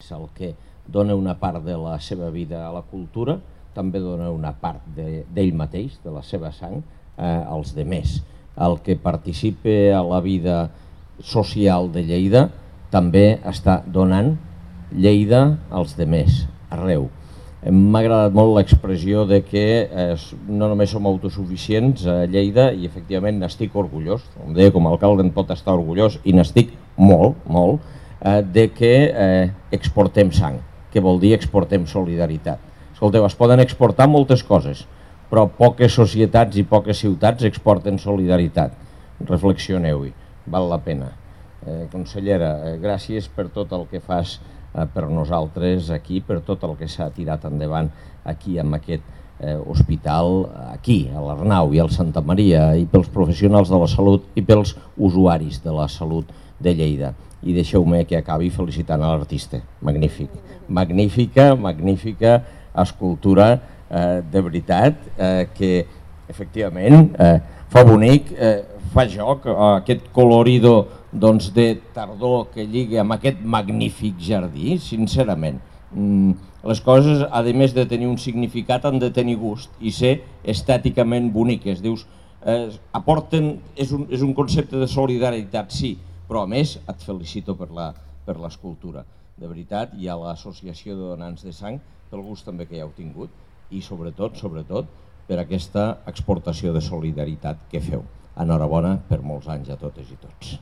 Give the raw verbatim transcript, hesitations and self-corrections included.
és el que dona una part de la seva vida a la cultura, també dona una part d'ell mateix, de la seva sang, als demés. El que participa a la vida social de Lleida també està donant Lleida als demés, arreu. M'ha agradat molt l'expressió de que no només som autosuficients a Lleida i efectivament n'estic orgullós, com deia, com a alcalde en pot estar orgullós i n'estic molt, molt, de que exportem sang, que vol dir exportem solidaritat. Escolteu, es poden exportar moltes coses, però poques societats i poques ciutats exporten solidaritat. Reflexioneu-hi, val la pena. Consellera, gràcies per tot el que fas per nosaltres aquí, per tot el que s'ha tirat endavant aquí amb aquest hospital, aquí, a l'Arnau i al Santa Maria, i pels professionals de la salut i pels usuaris de la salut de Lleida. I deixeu-me que acabi felicitant a l'artista. Magnífic. Magnífica, magnífica escultura, de veritat, que efectivament fa bonic, fa joc, aquest colorido de tardor que lliga amb aquest magnífic jardí, sincerament. Les coses, a més de tenir un significat, han de tenir gust i ser estèticament boniques. Dius, aporten, és un concepte de solidaritat, sí, però a més et felicito per l'escultura, de veritat, i a l'Associació de Donants de Sang pel gust també que ja heu tingut i sobretot, sobretot, per aquesta exportació de solidaritat que feu. Enhorabona per molts anys a totes i tots.